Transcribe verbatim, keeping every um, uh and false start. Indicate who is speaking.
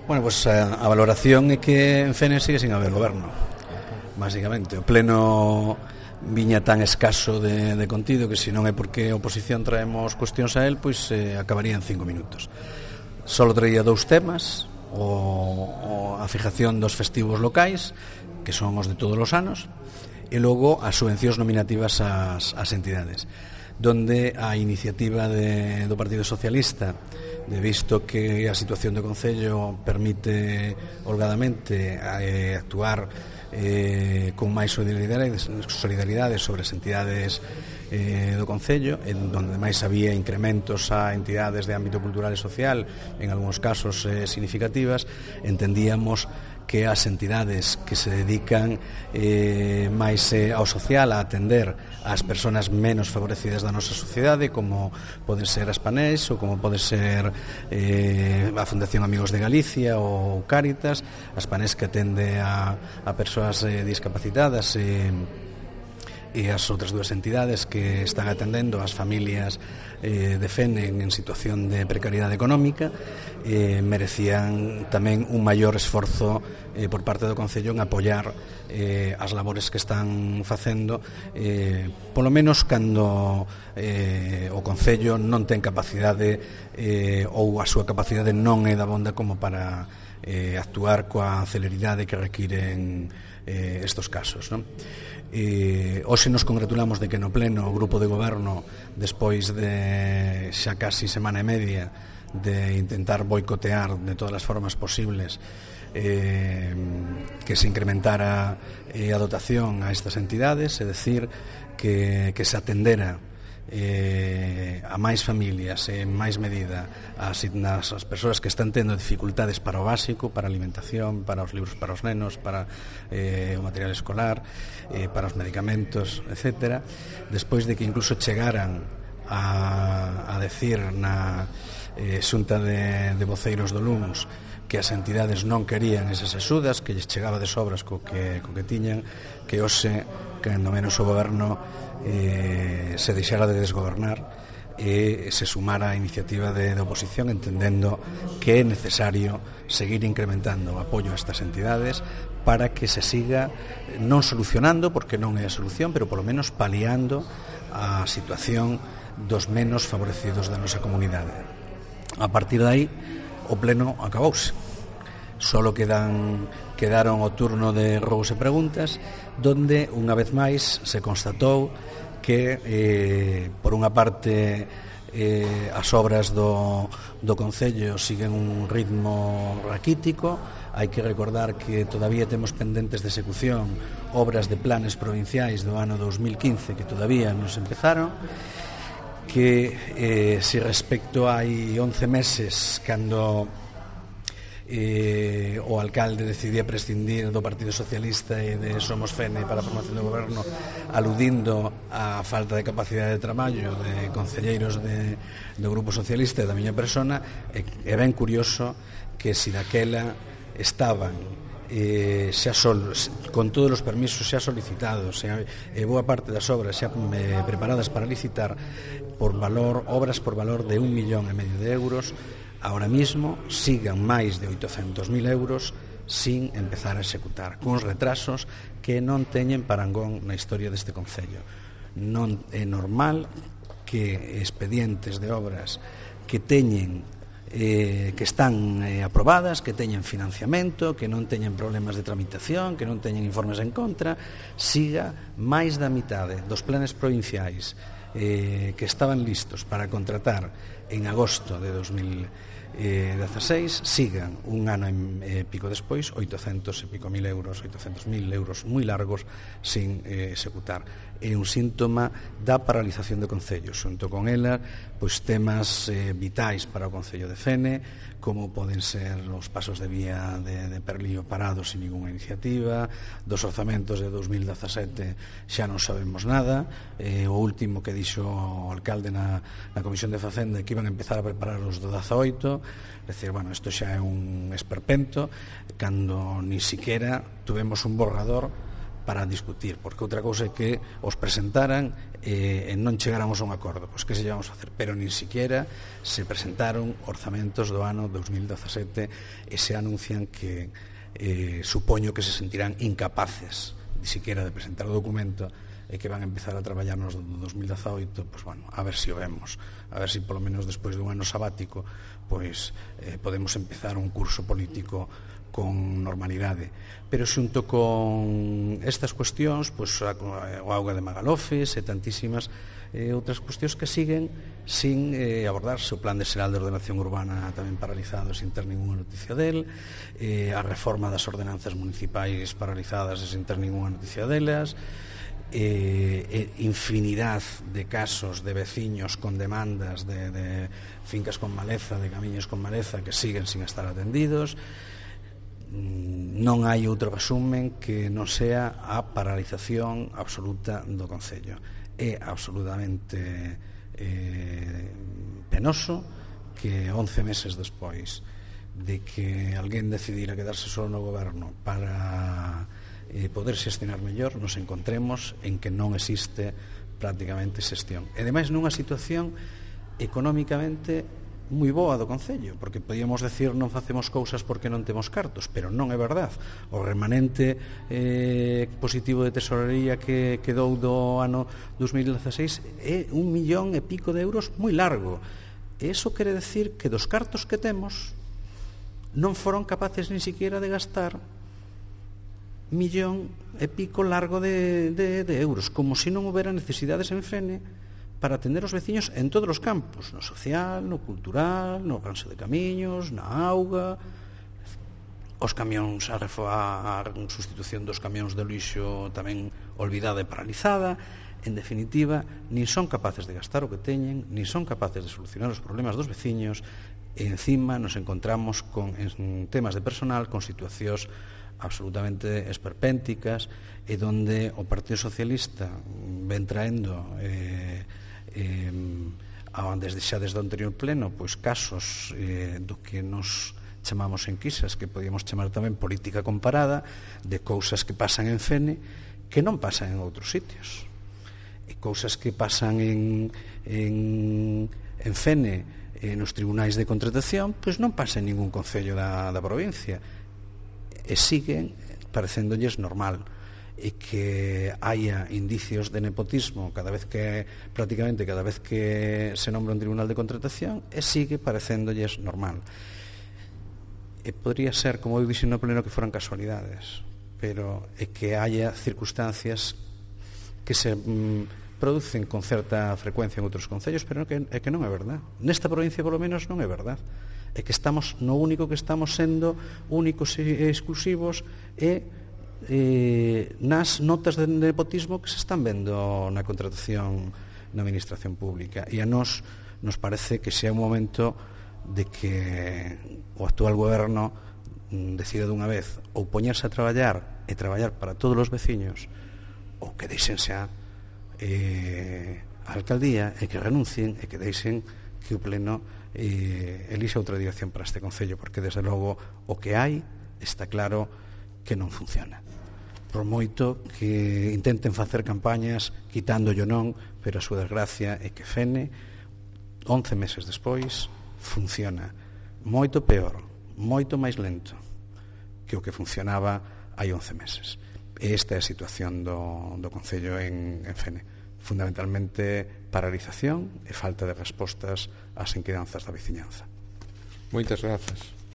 Speaker 1: Bueno, pois pues, a, a valoración é que en Fene sigue sin haber goberno, basicamente. O pleno viña tan escaso de, de contido que se non é porque a oposición traemos cuestións a él, pois eh, acabaría en cinco minutos. Solo traía dous temas, o, o a fijación dos festivos locais, que son os de todos os anos, e logo as subvencións nominativas ás, ás entidades, donde a iniciativa de, do Partido Socialista, de visto que a situación do Concello permite holgadamente eh, actuar eh, con máis solidaridade, solidaridade sobre as entidades eh, do Concello, en donde máis había incrementos a entidades de ámbito cultural e social, en algúns casos eh, significativas, entendíamos que as entidades que se dedican eh, máis eh, ao social, a atender ás persoas menos favorecidas da nosa sociedade, como poden ser as Panés ou como pode ser eh, a Fundación Amigos de Galicia ou Cáritas, as Panés que atende a, a persoas eh, discapacitadas e eh, e as outras dúas entidades que están atendendo as familias eh, de Fene en situación de precariedade económica, eh, merecían tamén un maior esforzo eh, por parte do Concello en apoiar eh, as labores que están facendo, eh, polo menos cando eh, o Concello non ten capacidade eh, ou a súa capacidade non é da bonda como para eh, actuar coa celeridade que requiren eh, estos casos, non? E hoxe nos congratulamos de que no pleno o grupo de goberno, despois de xa casi semana e media de intentar boicotear de todas as formas posibles eh, que se incrementara eh, a dotación a estas entidades, é dicir, que, que se atendera eh, a máis familias e en máis medida as, as persoas que están tendo dificultades para o básico, para a alimentación, para os libros para os nenos, para eh, o material escolar, eh, para os medicamentos, etcétera, despois de que incluso chegaran a, a decir na eh, xunta de, de voceiros do L U M S que as entidades non querían esas axudas, que lles chegaba de sobras co que, co que tiñan, que hoxe, cando menos o goberno eh, se deixara de desgobernar e se sumara a iniciativa de, de oposición, entendendo que é necesario seguir incrementando o apoio a estas entidades para que se siga non solucionando, porque non é a solución, pero polo menos paliando a situación dos menos favorecidos da nosa comunidade. A partir de aí, o pleno acabouse. Solo quedan, quedaron o turno de rogos e preguntas, donde, unha vez máis, se constatou que, eh, por unha parte, eh, as obras do, do Concello siguen un ritmo raquítico. Hai que recordar que todavía temos pendentes de execución obras de planes provinciais do ano dos mil quince que todavía non se empezaron, que eh, se respecto hai once meses, cando eh, o alcalde decidía prescindir do Partido Socialista e de Somos Fene para a formación do goberno, aludindo á falta de capacidade de traballo de concelleiros de, do Grupo Socialista e da miña persona, é, é ben curioso que si daquela estaban eh, xa sol, con todos os permisos xa solicitados e eh, boa parte das obras xa eh, preparadas para licitar por valor, obras por valor de un millón e medio de euros, ahora mismo sigan máis de oitocentos mil euros sin empezar a executar, cuns retrasos que non teñen parangón na historia deste Concello. Non é normal que expedientes de obras que teñen eh, que están eh, aprobadas, que teñen financiamento, que non teñen problemas de tramitación, que non teñen informes en contra, siga máis da mitade dos planes provinciais eh, que estaban listos para contratar en agosto de dos mil dezasseis, sigan un ano e pico despois, oitocentos e pico mil euros, oitocentos mil euros moi largos sin eh, executar. É un síntoma da paralización do Concello. Xunto con ela, pois temas eh, vitais para o Concello de Fene, como poden ser os pasos de vía de, de Perlío parados sin ninguna iniciativa, dos orzamentos de dos mil dezasete xa non sabemos nada, eh, o último que dixo o alcalde na, na Comisión de Facenda que iban a empezar a preparar os do dezaoito, é dicir, bueno, isto xa é un esperpento, cando ni siquiera tuvemos un borrador para discutir, porque outra cousa é que os presentaran e, e non chegáramos a un acordo, pois que se llevamos a hacer, pero nin siquiera se presentaron orzamentos do ano dos mil dezasete e se anuncian que eh, supoño que se sentirán incapaces ni siquiera de presentar o documento e que van a empezar a traballar nos do dos mil dezaoito, pois bueno, a ver se o vemos, a ver se polo menos despois dun ano sabático pois eh, podemos empezar un curso político con normalidade. Pero xunto con estas cuestións, pois, o auga de Magalofes e tantísimas eh, outras cuestións que siguen sin eh, abordarse, o Plan de Xeral de Ordenación Urbana tamén paralizado sin ter ninguna noticia del, eh, a reforma das ordenanzas municipais paralizadas e sin ter ninguna noticia delas, eh, eh, infinidad de casos de veciños con demandas de, de fincas con maleza, de camiños con maleza que siguen sin estar atendidos. Non hai outro resumen que non sea a paralización absoluta do Concello. É absolutamente eh, penoso que once meses despois de que alguén decidira quedarse só no goberno para eh, poder xestionar mellor, nos encontremos en que non existe prácticamente xestión. E ademais nunha situación económicamente moi boa do Concello, porque podíamos decir non facemos cousas porque non temos cartos, pero non é verdad. O remanente eh, positivo de tesorería que quedou do ano dos mil dezaseis é un millón e pico de euros moi largo. E iso quere decir que dos cartos que temos non foron capaces nin siquiera de gastar millón e pico largo de, de, de euros, como se non houbera necesidades en Fene para atender os veciños en todos os campos, no social, no cultural, no ranxo de camiños, na auga, os camións, a, a, a sustitución dos camións de lixo tamén olvidada e paralizada. En definitiva, nin son capaces de gastar o que teñen, nin son capaces de solucionar os problemas dos veciños, e encima nos encontramos con, en temas de personal, con situacións absolutamente esperpénticas, e donde o Partido Socialista ven traendo eh, eh, desde xa desde o anterior pleno pois casos eh, do que nos chamamos enquisas, que podíamos chamar tamén política comparada, de cousas que pasan en Fene que non pasan en outros sitios, e cousas que pasan en, en, en Fene eh, nos tribunais de contratación, pois non pasa en ningún concello da, da provincia, e siguen parecéndolles normal, e que haya indicios de nepotismo cada vez que, prácticamente cada vez que se nombra un tribunal de contratación, e sigue parecéndolles normal. E podría ser, como eu dixen no pleno, que foran casualidades, pero é que haya circunstancias que se mm, producen con certa frecuencia en outros concellos, pero que, é que non é verdad. Nesta provincia, polo menos, non é verdad. É que estamos, no único que estamos sendo únicos e exclusivos é eh, nas notas de nepotismo que se están vendo na contratación na administración pública, e a nós nos parece que xa é un momento de que o actual goberno decida dunha vez ou poñerse a traballar e traballar para todos os veciños, ou que deixen xa eh, a alcaldía e que renuncien e que deixen que o pleno eh, elixa outra dirección para este concello, porque desde logo o que hai está claro que non funciona. Por moito que intenten facer campañas quitándolle non, pero a súa desgracia é que Fene, once meses despois, funciona moito peor, moito máis lento que o que funcionaba hai once meses. E esta é a situación do, do Concello en, en Fene. Fundamentalmente paralización e falta de respostas ás inquedanzas da veciñanza.
Speaker 2: Moitas grazas.